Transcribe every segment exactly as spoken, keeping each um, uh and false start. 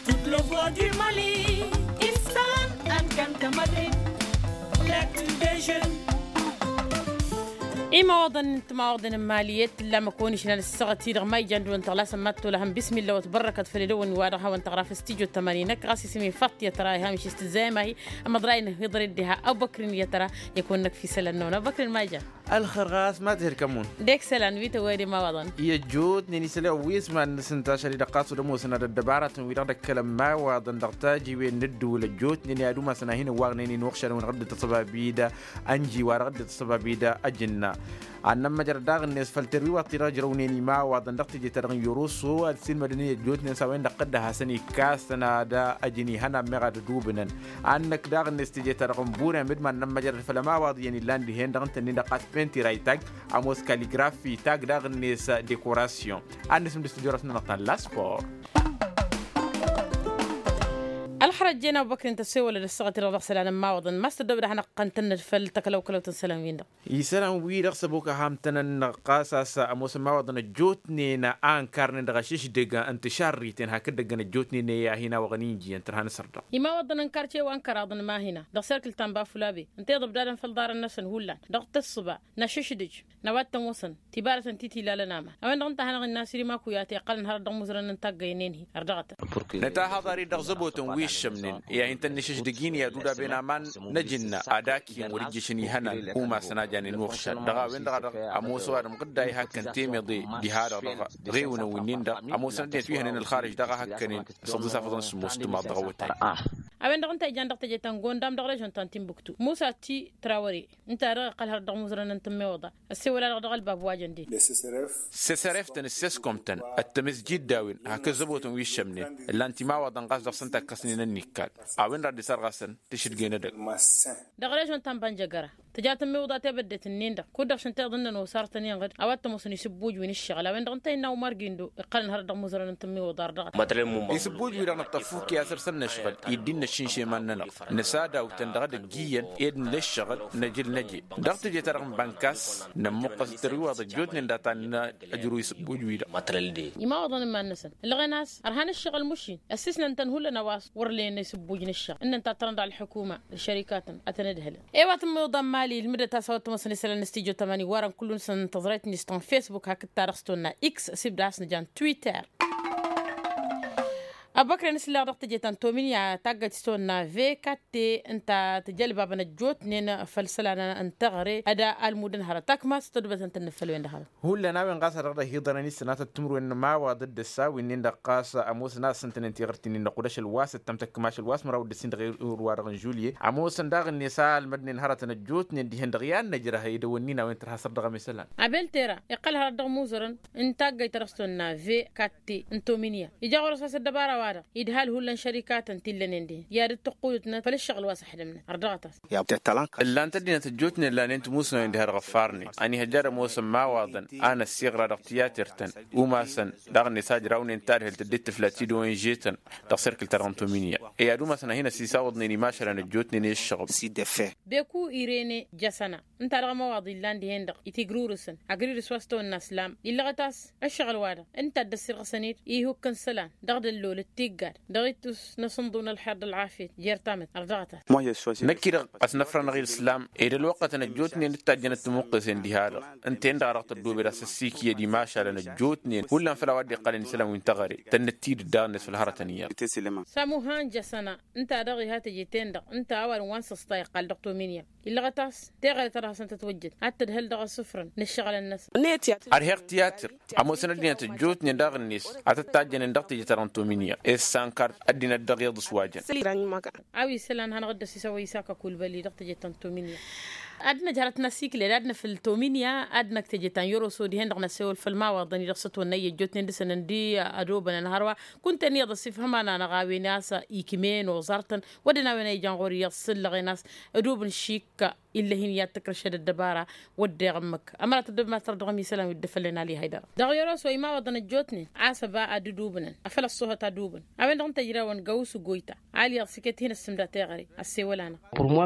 Toute le voix du mali. Issan. Alkanta madrid. L'actu des jeunes. Imawaḍăn n-timawaḍăn n-mali i-tǝllam ăkăwăn išlan ăssaɣăt-i-dăɣ ma ijan dăɣ-wăn tăɣlasăn ma t-tolăhăn bismillah wa t-bărrăkăt făll-edăwăn wa dăɣ-hawăn tăɣra făll-stujo tămani năkk ɣas isǝm-i faṭṭyăt ra iham išis tǝzzayăm ahi. Ămăḍray n-hǝḍrăd diha ăbăkrin i-tăra. I-kăwăn-năkf isălan-năwăn ăbăkrin ma ijan. Ălxer ɣas ma tihǝd kămmun. Dek isălan wi tăwwăyăd imawaḍăn. I-ăjjootnen isălan wi s-mad-nǝsǝnta ašăl-i-dăɣ ɣas wăr ămoosăn ad-ăddăbarătăn wi-dăɣ d-ăkkălăn imawaḍăn dăɣ-tajiwen n-ǝddǝwǝl ăjjootnen i-ad-umasăn a hin-ǝwwaɣnen-in uɣšălăn wi-dăɣ dd-ăṣṣăbab-i-dd ănji wa-dăɣ dd-ăṣṣăbab-i-dd ăjǝnna. Ad-nămmăjăr daɣ-net făll-terwiwaḍt-i-dăɣ ǝjrăwnen imawaḍăn dăɣ-teje-ta-dăɣ n-yoroso ad-silmădăn i-ăjjootnen s-a-wen-dăɣ tăddăhasăn ikkasăn ad-ăjǝn ihănan meɣ ad-ădubǝnăn. Ad-năkk daɣ-net teje-ta-dăɣ n-burem d-iman n-ămmăjrăd făll-ămawaḍ iyyăn illan dihen-dăɣ ǝntănnen dăɣ-qas penti raytag ămoos kaligrafi tag daɣ-net dekorasyon. Ad-nǝsǝm d-stujo-dăɣ s-nănăɣ ta n-laspor. Ălxărăt jen abubăkr ǝnta s-e-wălăd ăssaɣăt-i-dăɣ dăɣ-isălan n-imawaḍăn ma s-tăddob d-ad-hanăɣ-tăn-tănnăd făll-takălăwkălăwt n-isălan-win-dăɣ. Isălan-wi-dăɣ s-ăbok a ham-tăn-ănnăɣ ɣas a-s ămoosăn imawaḍăn ăjjootnen a ǝnkarnen dăɣ-ašǝšdǝg n-tišarriten hakd-dăggăn ăjjootnen i-ad-hin-awăɣăn injiyăn tărha n-asărdăɣ. Imawaḍăn n-karce wa ǝnkăraḍăn mahina dăɣ-serkǝl ta n-bafulabe ǝnta iḍăbdadăn făll-iḍarăn-năsăn hullan dăɣ-tǝssǝba n-ašǝšdǝj n-a-wa t-tămoosăn tibarătăn ti t-ilalăn aman a-wen-dăɣ ǝnta a hanăɣ-innă a-s iri maku i-ad-t-iqqălăn hărăt dăɣ-imuzărăn n-taggăynen-hi. Ărdăɣătăn. Nǝtahaḍ ar-dd dăɣ-zăbotăn wi ǝššămnen i-ad-hin-tăn-nǝšǝždǝg-in i-ad-udab-en aman n-ajǝnna ad-akǝyăn wăr-ǝjjǝšăn ihănan umasăn a janen inuɣšan dăɣ-a-wen-dăɣ a dăɣ-ămoos ăwadǝm ɣǝdday hakkăn temeḍe diha-dăɣ dăɣ-ɣewǝnăn winnin-dăɣ ămoosăn ăddinăt wi hănen ălxarǝj daɣ a hakkănen. S-ăḍǝs afăḍăn sǝmmos tǝmaḍ dăɣ-awătay. A-wen-dăɣ ǝnta a ijan dăɣ-teje ta n-gondam dăɣ-režon ta n-timbuktu musa ti trawăre ǝnta dăɣ-iqqăl hărăt dăɣ-imuzărăn n-tǝmmeḍa. Ăssewăl-a-dăɣ dăɣ-ălbab wa jăn den. Seseref-tăn d-seskom-tăn d-tamǝzjid d-a-wen hak ǝzzăbotăn wi ǝššămnen ǝllan timawaḍăn ɣas dăɣ-săn takkăsnen ănnikkal. A-wen-dăɣ a dd-isărɣasăn tǝšǝdgen edăgg. Dăɣ-režon ta n-bănjăgăra tǝja tǝmmiwǝḍa tebăddet-nin-dăɣ kud-dăɣ šăn tiḍǝnnăn osartăn inɣǝd a-wa t-ămoosăn isǝbbuj wi n-ǝššăɣǝl a-wen-dăɣ ǝnta a innă umar gindo iqqălăn hărăt dăɣ-imuzărăn n-tǝmmiwǝḍa ardăɣăt. Isǝbbuj-wi-dăɣ năṭṭăfuk i-asăr s-ănnăšɣǝl iddi n-năššǝnšeman-nănăɣ năsadaw-tăn dăɣ-edăgg iyyăn ed nǝla ǝššăɣǝl năjǝl năje dăɣ-teje-ta-dăɣ n-bănkas. Nămmuqqăs d-tărwiwaḍ ăjjootnen data n-ăjrǝw isǝbbuj-wi-dăɣ. Imawaḍăn n-iman-năsăn ǝlɣen a-s ărhan ǝššăɣǝl mušin ăssisnăn-tăn hullan a-wa s-wăr len isǝbbuj n-ǝššăɣǝl ǝnnăn tattărăn dăɣ-ălḥukuma d-šărikatăn ad-tăn-ǝdhǝlăn. I-wa tǝmmiḍa n-imali ǝlmǝdăt a-s a-wa t-ămoosăn isălan n-stijo tămani wărăn kull-năsăn tăẓrayt-net ta n-fesbuk hakd ta dăɣ-s tonna x s-ibda a-s nǝja n-twitter. Ăbăkre n-asǝllaɣ dăɣ-teje ta n-tominya taggayt s-tonna vekatte ǝnta tǝjălbabăn ăjjootnen făll-isălan n-teɣăre ad-almudăn hărăt akmas tădubătăn tănnăfăl-wen-dăɣ hărăt. Hullan a-wen ɣas a dăɣ-dd-ăhiḍărăn isănatăt timǝrwen n-imawaḍ d-ǝssa winnin-dăɣ ɣas ămoosăn a-s ǝntănen tiɣǝrt-nin-dăɣ kud-ašăl wa s-ǝttăm tăkkăm ašăl wa s-măraw d-ǝssin dăɣ-iwǝr-wa-dăɣ n-žulye ămoosăn daɣ-net a ălmădnen hărătăn ăjjootnen dihen-dăɣ i-ad-năjrăh edăwănnin a-wen tărha săr dăɣ-emesălan. Abel tera iqqăl hărăt dăɣ-imuzărăn n-taggăyt ta dăɣ-s tonna ve katte n-tominya ija ɣur-s a-s ăddăbara-wa-dăɣ idhal hullan šărikatăn ti ǝllănen dihen i-ad-dd-tăqqudǝtnăt făll-ǝššăɣǝl wa s-ăḥdămnăt ărdăɣăt-as. Ǝllan-t ăddinăt ăjjootnen lanen timusnawen diha-dăɣ ăffarnen ănihăjja ad-ămoosăn imawaḍăn a năssiɣra dăɣ-tiyater-tăn umasăn daɣ-net a ǝjrawnen tadhǝlt dd-tǝfla tidonže-tăn dăɣ-serkǝl-ta-dăɣ n-tominya i-ad-umasăn a hin-ăsisawăḍnen imašălăn ăjjootnen i-ǝššăɣǝb. Beku irene jasăna ǝnta dăɣ-ămawaḍ illan dihen-dăɣ itigrurǝsăn agrirǝs wa s-tawănna ǝslam illăɣăt a-s ǝššăɣǝl-wa-dăɣ ǝnta a dd-ăssirɣăsăn-dd ihukk n-isălan dăɣ-dd-ăllol d-tiggad dăɣ-ittus n-asǝnḍu n-ălxer d-ălɣafyăt jer-tamăt ărdăɣăt-as. Năkk-i-dăɣ ɣas năfrănăɣ i-ǝslam ed ălwăqqătăn ăjjootnen d-tajjănăt timuqqesen diha-dăɣ ǝnta-en-dăɣ a dăɣ-tăddobed a-s ăssiikyăd imašalăn ăjjootnen hullan făll-a-wa dd-iqqălăn isălan wi n-teɣăre tănnăt-t-dd daɣ-net făll-hărătăn iyyăḍ. Samuhan jasăna ǝnta-dăɣ iha teje-ten-dăɣ ǝnta a-wa dăɣ-wa n-săṣta iqqal dăɣ-tominya illăɣăt a-s teɣăre ta dăɣ-hasăn-tătwăjjăd ad-tădhăl dăɣ-asǝfrăn n-ǝššăɣǝlăn-năsăn. Ărheɣ tiyatǝr ămoosăn ăddinăt ăjjootnen daɣ-net ad-tăt-tajjănen dăɣ-teje-ta-dăɣ n-tominya ed sankart ăddinăt dăɣ-iyyăḍ s-wa jăn. A-wa isălan hanăɣ-dd-ăsisăwăy isaka kulbăli dăɣ-teje ta n-tominya. Ad-năj hărăt n-asikle d-ad-năfǝl tominya ad-năkk teje ta n-yoroso dihen-dăɣ năssewăl făll-imawaḍăn-i-dăɣ s-ătwănnăy i-ăjjootnen dăɣ-săn ǝndi ădobănăn hărwa kunta-en iyyăḍ ăssifhăm-anăɣ a-wen a-s ikm'-en oẓar-tăn wădden a-wen a ijan ɣur-i iyyăḍ s-ǝllăɣen a-s ădobǝn šik. Illăh-in i-ad-tǝkrăšăd ăddăbara wădden iɣǝmmǝk ămăra tăddobem ad-tărdăɣăm isălan wi dd-făllen ali haydăra. Dăɣ-yoroso imawaḍăn ăjjootnen a-s ăba ad-dd-ubǝnăn afăl ăṣṣoohăt ad-ubǝnăn a-wen-dăɣ n-tăjrawăn găwǝs goyta. Ali iyyăḍ s-iket hin-ăssǝmda teɣăre ăssewăl-anăɣ.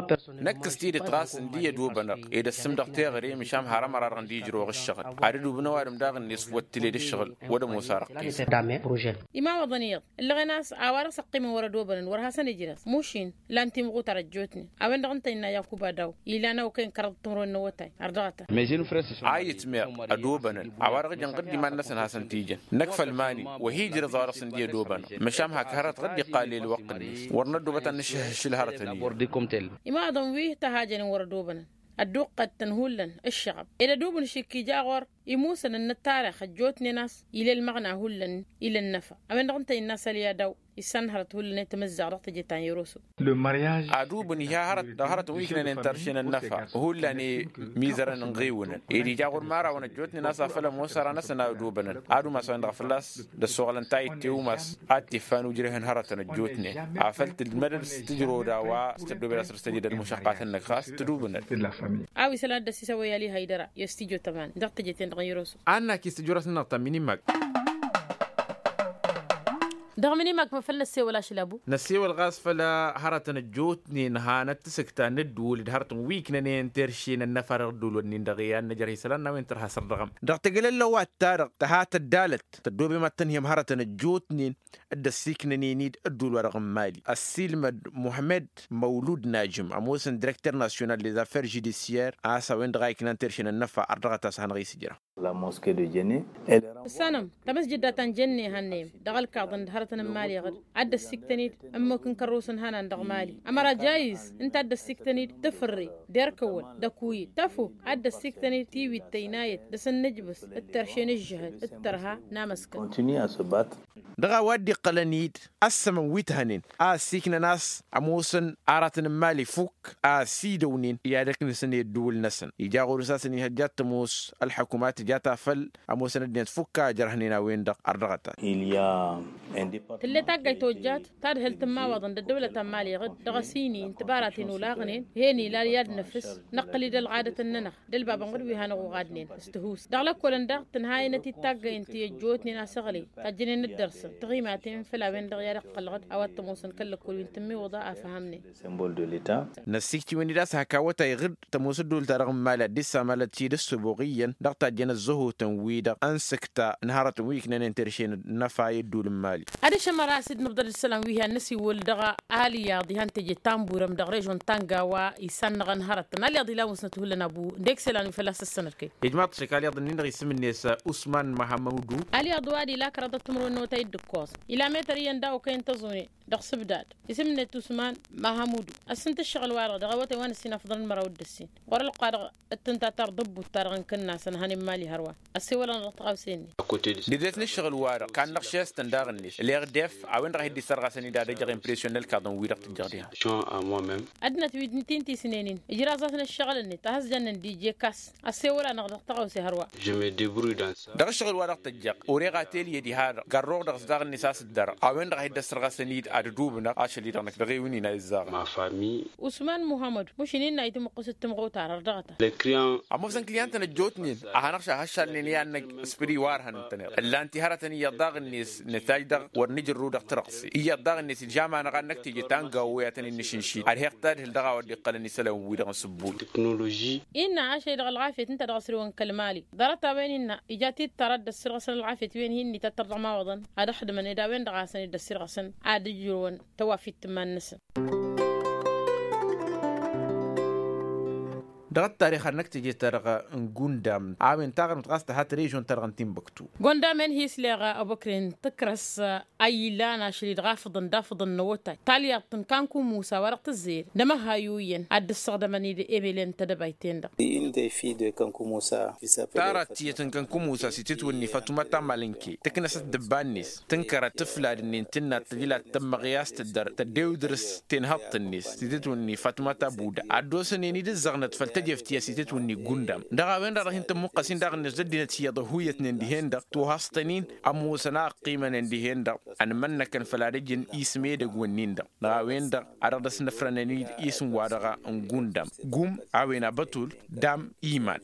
Năkk s-tidǝt ɣas ǝndi Ădobănăɣ ed ăssǝm dăɣ-teɣăre măšan har ămăra-dăɣ n-dd-ijrăwăɣ ǝššăɣǝl ad-ădubnăw ad-ǝmdaɣ-net făw ăttǝled ǝššăɣǝl wăr ămoos arăqqes. Imawaḍăn iyyăḍ ǝllăɣen a-s a-wa-dăɣ s-ăqqimăn wăr-ădobănăn wăr hasăn-ijrăẓ mušin. Lan timɣutar ăjjootnen a-wen-dăɣ ǝnta innă yakuba daw ilan awkăyăn kăraḍ timrăwen n-awătay. Ărdăɣătăn. A itmeɣ ădobănăl a-wa-dăɣ ijăn ɣǝdd iman-năsăn hasăn-t-ijăn năkk făll-mani. Wăr hi-ijrăẓ a-wa-dăɣ s-ǝndi ădobănăɣ măšan hak hărăt ɣǝdd iqqal i-ălwăqq-net. Wăr năddobăt ad-nǝšhǝhhǝššǝl hărătăn-i. Imawaḍăn wi tăhajănen wăr-ădobănăn ădduqqăt-tăn hullan ǝššăɣăb ed ădubǝn šik ija ɣur-i musăn n-ăttarix ăjjootnen a-s ila ălmăɣna hullan ila ănnăfa. A-wen-dăɣ ǝnta innă a-s ălya daw issan hărăt hullan i-tamǝzzaɣt dăɣ-teje ta n-yăroso. Adubǝn iha hărăt dăɣ-hărătăn wi ǝknănen tărše n-ănnăfa hullan i-imizărăn n-iɣiwǝnăn ed ija ɣur-imărawăn ăjjootnen a-s afăl ămoos ara-năsăn a ădobănăn ad-umas a-wen-dăɣ fălla-s d-ăssoɣălăn tayǝtte umas ad-t-iffan ujreh n-hărătăn ăjjootnen afăl tǝlmădăd s-tǝjrăwăd a-wa s-tăddobed asrǝs tăjedăd mušăqqatăn-năk ɣas tǝdubǝnăd. A-wa isălan dd-ăssisăwăy ali haydăra i-s tijotăman dăɣ-teje-ten-dăɣ n-yăroso. Annak-i s-tǝjrăsnăɣ ta minimak. Dăɣ-minimak măfăl năssewăl ašăl abu. Năssewăl ɣas făll-hărătăn ăjjootnen hanăt-tǝsǝkta n-ǝddǝwǝl d-hărătăn wi ǝknănen terše n-ănnăfa dăɣ-ǝddǝwǝl-wǝnnin-dăɣ i-ad-năjăr isălan n-a-wen tărha săr-dăɣ-ăm dăɣ-tegălăllăwat ta-dăɣ tăha tăddalăt tăddoobem ad-tănhǝyăm hărătăn ăjjootnen. D-ăssiiknănen-dd ădduul-wa-dăɣ n-mali ăssiilmăd muhămmăd măwlud najǝm ămoosăn direkter nasyonal dezaffer žudisyer a-s a-wen-dăɣ a iknan terše n-ănnăfa ărdăɣăt a-s hanăɣ-isǝjra. Ǝssanăm tamăsjǝdda ta n-jenne hannăyăm dăɣ-ălkaḍăn d-hărătăn n-mali ɣǝd ad-dd-ăssiiktăn-dd ămmok n-kărrus n-hănan dăɣ-mali ămăra jayǝz ǝnta ad-dd-ăssiiktăn-dd tǝfǝrre d-erkăwăl d-ăkuyǝd tăfuk ad-dd-ăssiiktăn-dd tiwit tăynayăt dăɣ-săn nǝjbǝs d-terše n-ǝžžǝhăd d-tărha n-amăskăl. Dăɣ-a-wa dd-iqqălăn-dd ăssămăn wi t-hănen a ăssiiknăn a-s ămoosăn aratăn n-imali fukk a ăsidăwnen i-ad-ăknǝsăn i-ăddǝwǝl-năsăn ija ɣur-s a-s ănihăjja ad-tămoos ălḥăkumat tǝja ta făll-ămoosăn ăddinăt fukk a ăjrăhnen a-wen-dăɣ ărdăɣăt-at. Tǝll'-e taggayt tojjat tadhǝlt n-imawaḍăn d-ăddăwlăt ta n-imali ɣǝd dăɣ-asǝyni n-tibaraten olaɣnen. Hen-ila i-ad-năfǝs năqqǝl-dd ălɣadăt-nănăɣ d-ălbabăn ɣǝd wi hanăɣ-uɣadnen s-tǝhus dăɣ-lăkkolăn daɣ tǝnhayănăt-dd taggăyăn ti ăjjootnen asăɣlăy tajjănen d-dăr-săn tiɣimaten făll-a-wen-dăɣ i-ad-iqqăl ɣǝd a-wa t-ămoosăn kăl-lăkkol wi n-tǝmmiwǝḍa a făhămnen. Năssiiktiwen-dd a-s hak awătay ɣǝd tămoos ădduul-ta-dăɣ n-imali ad-dd-issamalăt-dd ăssoboɣ iyyăn dăɣ-tajjăn ăzzăhotăn-wi-dăɣ ănsǝkta n-hărătăn wi ǝknănen terše n-ănnăfa i-ădduul n-imali. Ad-išăm ara a-s dd-nǝbḍăd ǝssălan wi han-năsiwǝl dăɣ-alyaḍ ihăn teje ta n-burăm dăɣ-režon ta n-gawa isannăɣăn hărătăn alyaḍ ilan wǝsnăt hullan abu. Dek s-elan wi fălla-s ăssănăd kăy. Ijmaḍ-t šăkk alyaḍ-nin-dăɣ isǝm-net usman mahamudu. Alyaḍ wa d-ila kăraḍăt timǝrwen n-awătay d-ǝkkoẓ ila metăr iyyăn daw-kăyăn tăẓune dăɣ-sǝbdad isǝm-net usman mahamudu. Ăssǝnt ǝššăɣǝl-wa-dăɣ dăɣ-awătay wa n-ǝssin afḍăn n-măraw d-ǝssin ɣur-ălqadăɣ d-tǝnta ta ărdăbbut-ta-dăɣ n-kǝnnasăn hănen mali hărwa. Ăssewălăn dăɣ-tăɣawse-net. Dăr-tet n-ǝššăɣǝl-wa-dăɣ kannăɣ šestăn daɣ-net leɣ def a-wen-dăɣ a hi-dd-issărɣasăn-dd ad-ăjăɣ impresyon n-ălkaḍăn-wi-dăɣ tǝjjăɣ diha. Ăddinăt wi n-ti n-tisnen-in ǝjraẓ-asăn ǝššăɣǝl-net a has-jănnen d-ije kas. Ăssewăl-anăɣ dăɣ-tăɣawse hărwa. Dăɣ-ǝššăɣǝl-wa-dăɣ tăjjăɣ ureɣ atelye diha-dăɣ gărruɣ dăɣ-s daɣ-net a-s dd-ărăɣ a-wen-dăɣ a hi-dd-ăssărɣasăn-dd ad-ădubnăɣ ašăl-i-dăɣ năkk dăɣ-ewǝnnin a izzaɣăn. Usman muhammăd mušin innă itǝmǝqqǝs d-timɣutar ărdăɣăt-a. Ămoosăn kǝlyantăn ăjjootnen a hanăɣ-šahăššalnen i-ad-năgg s-pădi wa ărhăn ǝntăneḍ ǝllan-t i-hărătăn iyyăḍ daɣ-net nǝtajj dăɣ-wăr nǝjărru dăɣ-tirăɣse iyyăḍ daɣ-net ilžam-anăɣ ad-năkk teje ta n-gawo i-ad-tăn-in-nǝšǝnšid ad-heɣ tadhǝl dăɣ-a-wa dd-iqqălăn isălan-wi-dăɣ n-sǝbbul. Teknoloži. Innă ašăl-i-dăɣ ălɣafyăt ǝnta dăɣ-s rewăn kăl-mali ḍarăt-a-wen innă ija tittăr ad-dd-ăssirɣăsăn ălɣafyăt wen hin-ităttăr dăɣ-imawaḍăn ad-ăxdǝmăn ed a-wen-dăɣ a hasăn-dd-ăssirɣăsăn ad-ǝjrǝwăn tăwafit tǝmman-năsăn. Dăɣ-ăttarix ad-năkk teje-ta-dăɣ n-gundam a-wen taɣrǝmt ɣas tăhat režon-ta-dăɣ n-timbuktu. Gondam-en hi-isleɣ ăbăkren tǝkrăs a ilan ašăl-i-dăɣ afǝḍăn d-afǝḍăn n-awătay talyaḍt n-kankumusa wa dăɣ-tǝzzeyăd d-amăhayuyyăn ad-dd-ǝssăɣdămăn-dd emelen tedăbayt-en-dăɣ. Tarăt tiyyăt n-kankumusa s-itǝtwǝnni fatuma ta n-malǝnke tǝknăsăt dăbba-net tǝnkărăt tǝflad-nin tǝnnat tǝjlat tămmăɣyas tǝddăr tăddew dăr-s tenhăḍt-net s-itǝtwǝnni fatuma ta n-buda ad-dd-osănen-dd ǝzzăɣnăt făll-tejeft tiyyăt s-itǝtwǝnni gundam dăɣ-a-wen-dăɣ dăɣ-hin-tămmuqqăs-in daɣ-net d-ăddinăt iyyăḍ ăhuyătnen dihen-dăɣ tohăẓtăn-in ămoosăn a ǝqqimănen dihen-dăɣ. Ănmănnăkăn făll-ad-ǝjǝn ismedăgg wǝnnin-dăɣ dăɣ-a-wen-dăɣ a dăɣ-dăr-s nǝfrănăn-dd isǝm-wa-dăɣ n-gundam gum a-wen abătul dam iman.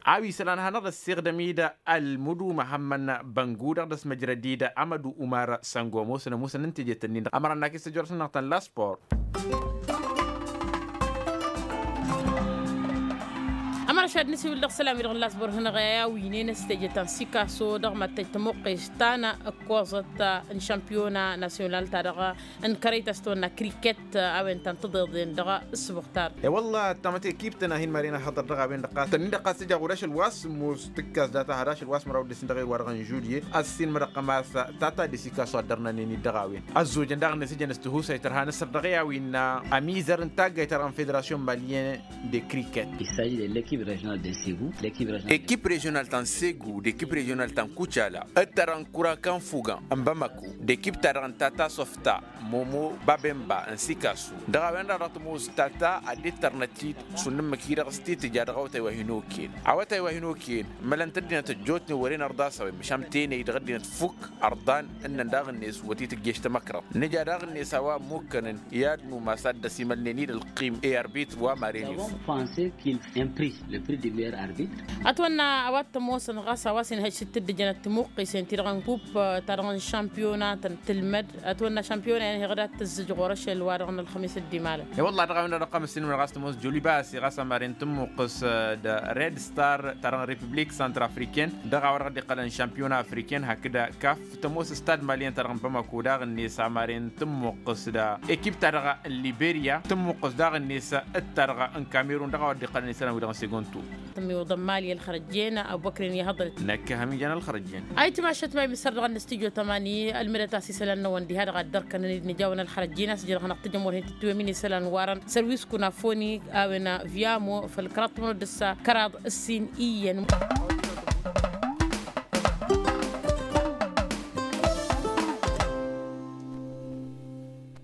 A-wa isălan hanăɣ-dd-ăssiɣdăm-dd ălmǝdu măhămmăn băngu dăɣ-dăr-s măjrăd-dd amădu umar săngo ămoosăn ămoosăn n-tejet-ǝnnin-dăɣ ămăra n-akǝs tăjorăsăn-dăɣ tăn-la spor. Šad nǝsiwǝl dăɣ-isălan-wi-dăɣ n-lasbăr hănăɣ i-a-wi n-enăs teje ta n-sikaso dăɣ-mad-tăj tămuqqes ta n-ăkkoẓăt n-šampiyona nasyonal ta dăɣ-n kărăy ta s-tăwănna kriket a-wen ta n-tiḍeḍen dăɣ-ǝssǝbuɣ-ta-dăɣ. E-wălla tamăt ekip-tăn a hin-maren ălhăḍăr dăɣ-a-wen-dăɣ ɣas tănnin-dăɣ ɣas tǝja ɣur-ašăl wa s-ămoos tǝkkas data har ašăl wa s-măraw d-dăɣ-s n-dăɣ-i wa dăɣ-n žulye a-s hin-mărăqqăm a-s tata d-esikaso a dd-ărnanen-dd dăɣ-a-wen. Ăzzojăn daɣ-net ǝjăn s-tihusay tărha nǝsăr dăɣ-i a-wen. Ămizăr n-taggayt-ta-dăɣ n-federasyon malyen de kriket. Ekip režional ta n-segu d-ekip režional ta n-kucala d-ta dăɣ-n kurakan fugan n-bamako d-ekip-ta-dăɣ n-tata softa momo babemba n-sikasu dăɣ-a-wen-dăɣ dăɣ-tămoos tata a dd-tărnăt-dd šund ǝmmǝk-i-dăɣ s-titǝja dăɣ-awătay wa hin-okăyăn. Awătay wa hin-okăyăn mălăn-t ăddinăt ăjjootnen wăren ărḍasăwen măšan tenăy dăɣ-ăddinăt fukk ărḍan ǝnnăn daɣ-net wăr t-tǝjješ tamăkrăḍt nǝja daɣ-net a-wa ămmukkănăn i-ad-numas ad-dd-ăsimălnen-dd ălqim i-arbitru wa maren ifuk. Ătwănna a-wa t-ămoosăn ɣas a-wa s-inhăj s-dd-ǝjjănăt timuqqisen-ti-dăɣ n-kupp-ta-dăɣ n-šampiyona tăn-tǝlmăd ătwănna šampiyona-en heɣ dat-tǝzzǝj ɣur-ašăl-wa-dăɣ n-ălxămis dd-imalăn. I-wălla dăɣ-a-wen-dăɣ dăɣ-tămăssinăm dăɣ-a-s tămoos jolibasi ɣas amaren tǝmmuqqǝs d-red star ta dăɣ-n republik centrafriken dăɣ-a-wa dăɣ-dd-iqqălăn šampiyona afriken hakd kaf tămoos stad malyen ta dăɣ-n bamako daɣ-net amaren tǝmmuqqǝs d-ekip ta dăɣ-n liberya tǝmmuqqǝs daɣ-net d-ta dăɣ-n kamerun dăɣ-a-wa dd-iqqălăn isălan-wi-dăɣ n-segontu. Tămmiwǝḍăn mali ălxărăjjen abubăkrin i-hăḍrăt. Năkk hamijan ălxărăjjen. Ayǝtmašăt ma imǝssăr dăɣ-ănnăstijyo tămani ălmǝdăt a-s isălan-năwăn diha-dăɣ a dd-ărkănăn-dd nǝja-wăn ălxărăjjen a-s ija dăɣ-hanăɣ-tǝjăm wăr hin-tǝttǝwem-in isălan warăn sărwisku n-afoni a-wen vyamo făll-kăraḍ timǝnăw d-ǝssa kăraḍ ǝssin iyyăn.